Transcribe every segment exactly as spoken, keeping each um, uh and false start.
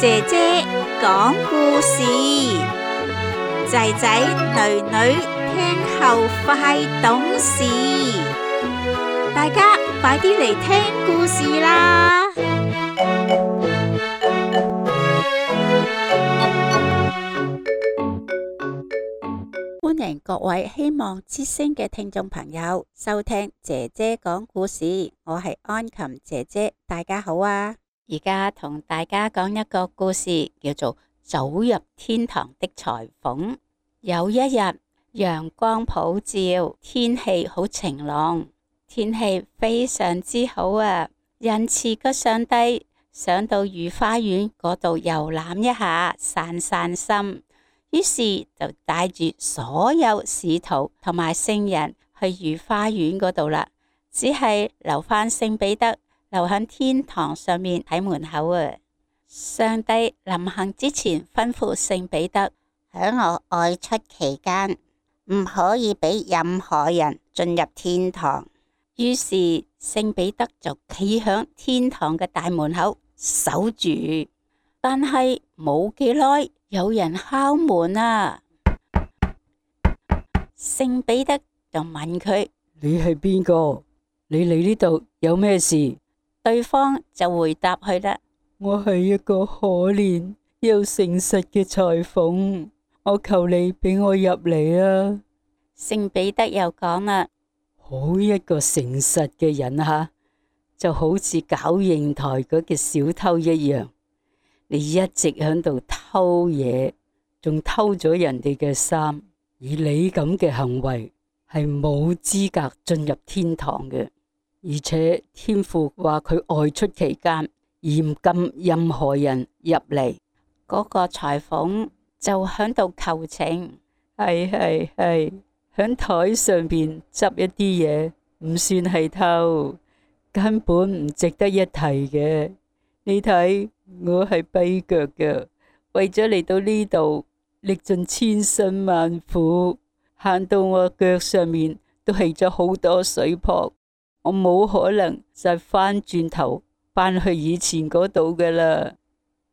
姐姐講故事，仔仔女女聽後快懂事，大家快啲嚟聽故事啦！歡迎各位希望之聲嘅聽眾朋友收聽姐姐講故事，我係安琴姐姐，大家好啊！而家同大家講一個故事，叫做走入天堂的裁縫。有一日，陽光普照，天氣好晴朗，天氣非常之好啊！仁慈嘅上帝想到御花園嗰度遊覽一下，散散心，於是就帶住所有使徒同埋聖人去御花園嗰度啦，只係留返聖彼得留喺天堂上面喺門口啊！上帝臨行之前吩咐聖彼得，喺我外出期間唔可以俾任何人進入天堂。於是聖彼得就企喺天堂嘅大門口守住，但係冇幾耐，有人敲門啊！聖彼得就問佢：你係邊個？你嚟呢度有咩事？對方就回答佢啦：我係一個可憐又誠實嘅裁縫，我求你俾我入嚟啊！聖彼得又講啦：好一個誠實嘅人啊，就好似搞瀛台嗰嘅小偷一樣，你一直喺度偷嘢，仲偷咗人哋嘅衫，以你咁嘅行為係冇資格進入天堂嘅。而且天父話佢外出期間嚴禁任何人入嚟。嗰個裁縫就響度求情：係係係，響台上邊執一啲嘢唔算係偷，根本唔值得一提嘅。你睇我係跛腳嘅，為咗嚟到呢度歷盡千辛萬苦，行到我腳上面都起咗好多水泡。我冇可能就翻轉頭翻去以前嗰度噶啦，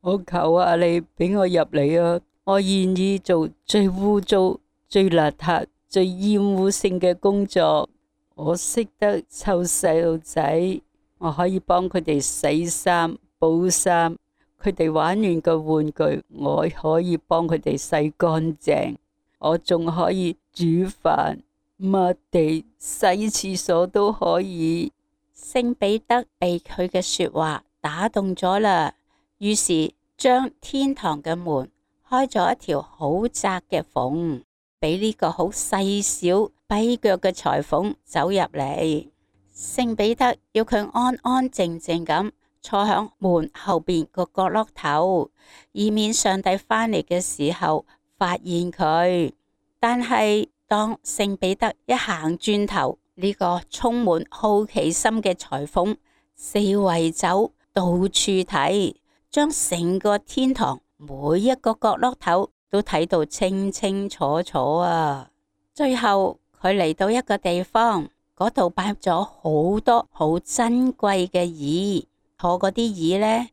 我求下你俾我入嚟啊！我願意做最污糟、最邋遢、最厭惡性嘅工作。我識得湊細路仔，我可以幫佢哋洗衫、補衫，佢哋玩完個玩具，我可以幫佢哋洗乾淨，我仲可以煮飯、抹地、洗廁所都可以。聖彼得被佢嘅說話打動咗啦，於是將天堂嘅門開咗一條好窄嘅縫，俾呢個好細小跛腳嘅裁縫走入嚟。聖彼得要佢安安靜靜咁坐響門後邊個角落頭，以免上帝返嚟嘅時候發現佢。但係當聖彼得一行轉頭，呢個充滿好奇心嘅裁縫四圍走，到處睇，將成個天堂每一個角落頭都睇到清清楚楚啊！最後佢嚟到一個地方，嗰度擺咗好多好珍貴嘅椅，坐嗰啲椅呢，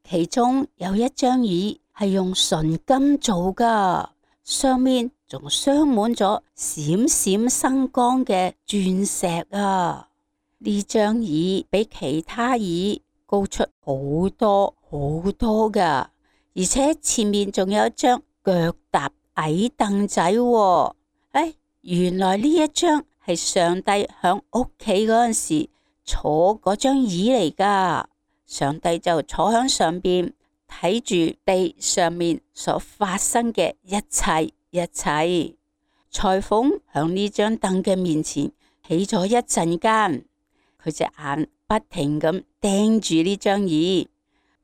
其中有一張椅係用純金做噶，上面仲鑲滿咗閃閃生光嘅鑽石啊！呢張椅比其他椅高出好多好多噶，而且前面仲有一張腳踏矮凳仔喎。哎，原來呢一張係上帝響屋企嗰陣時坐嗰張椅嚟噶。上帝就坐響上邊睇住地上面所發生嘅一切一切。裁縫響呢張凳嘅面前起咗一陣間，佢隻眼不停咁盯住呢張椅。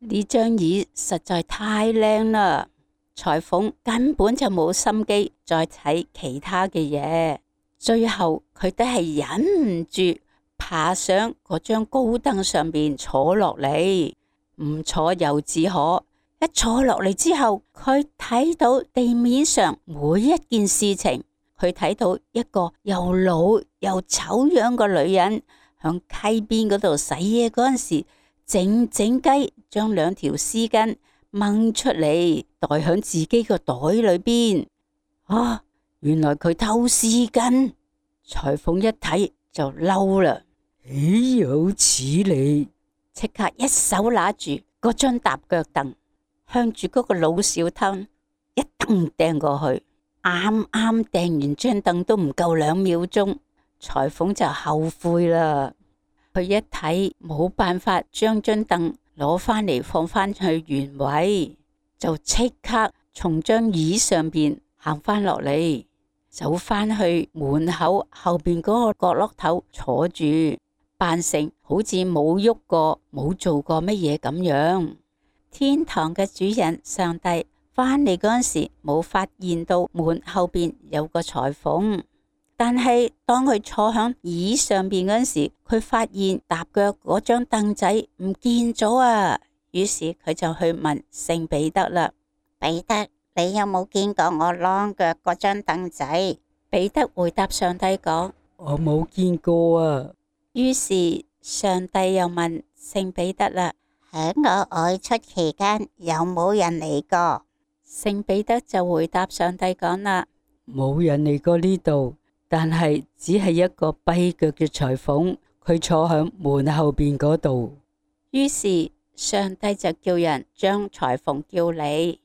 呢張椅實在太靚啦，裁縫根本就冇心機再睇其他嘅嘢。最後佢都係忍唔住爬上嗰張高凳上面坐落嚟，唔坐又只可。一坐落嚟之後，佢睇到地面上每一件事情，佢睇到一個又老又醜樣嘅女人響溪邊嗰度洗嘢嗰陣時，靜靜雞將兩條絲巾掹出嚟，袋響自己個袋裏邊。啊，原來佢偷絲巾。裁縫一睇就嬲啦，豈有此理！即刻一手拿住嗰張踏腳凳，向住嗰個老小偷一蹬掟過去。啱啱掟完張凳都唔夠兩秒鐘，裁縫就後悔啦。佢一睇冇辦法將張凳攞返嚟放返去原位，就即刻從張椅上邊行返落嚟，走返去門口後邊嗰個角落頭坐住，扮成好似冇喐過冇做過乜嘢咁樣。天堂嘅主人上帝返嚟嗰陣時冇發現到門後邊有個裁縫，但係當佢坐響椅上邊嗰陣時，佢發現踏腳嗰張凳仔唔見咗啊！於是佢就去問聖彼得啦：彼得，你有冇見過我啷腳嗰張凳仔？彼得回答上帝講：我冇見過啊。於是上帝又問聖彼得啦：喺我外出期間有冇人嚟過？聖彼得就回答上帝講啦：冇人嚟過呢度，但係只係一個跛腳嘅裁縫，佢坐響門後邊嗰度。於是上帝就叫人將裁縫叫嚟，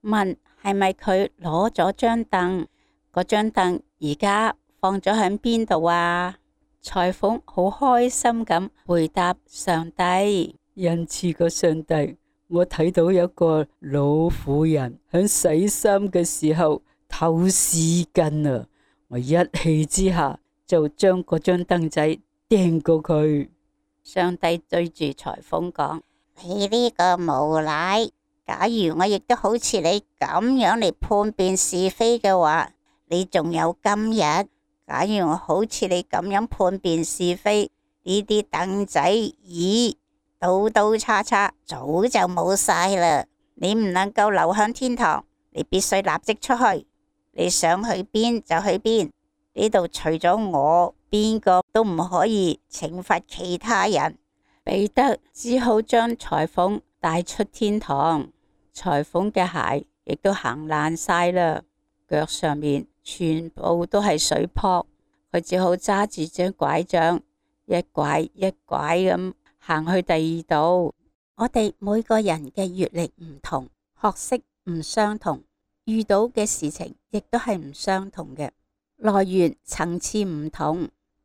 問係咪佢攞咗張凳？嗰張凳而家放咗喺邊度啊？裁縫好開心咁回答上帝：恩賜個上帝，我睇到有個老婦人響洗衫嘅時候偷絲巾啊！我一氣之下就將嗰張凳仔掟過佢。上帝對住裁縫講：你呢個無賴！假如我亦都好似你咁樣嚟判辨是非嘅話，你仲有今日？假如我好似你咁樣判辨是非，呢啲凳仔椅刀刀叉叉早就冇晒啦。你唔能夠留響天堂，你必須立即出去。你想去邊就去邊，呢度除咗我，邊個都唔可以懲罰其他人。彼得只好將裁縫帶出天堂，裁縫嘅鞋亦都行爛晒啦，腳上面全部都係水泡，佢只好揸住張拐杖，一拐一拐咁行去第二度。我哋每個人嘅閱歷唔同，學識唔相同，遇到嘅事情亦都係唔相同嘅，來源層次唔同，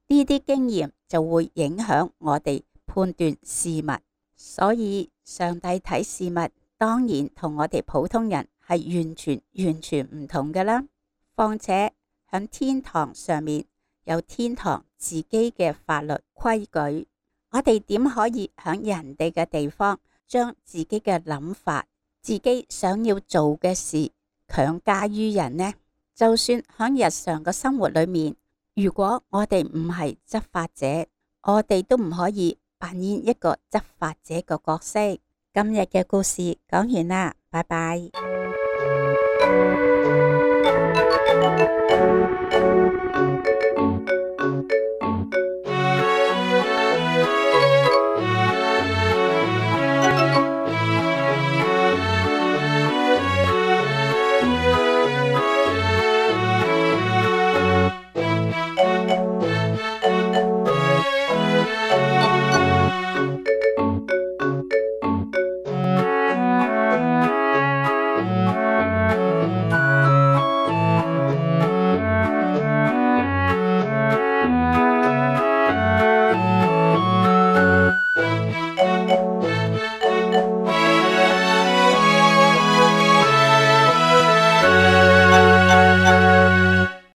呢啲經驗就會影響我哋判斷事物。所以上帝睇事物當然同我哋普通人係完全完全唔同㗎啦。況且響天堂上面有天堂自己嘅法律規矩，我哋點可以響人哋嘅地方將自己嘅諗法、自己想要做嘅事強加於人呢？就算響日常嘅生活裏面，如果我哋唔係執法者，我哋都唔可以扮演一個執法者嘅角色。今日嘅故事講完啦，拜拜。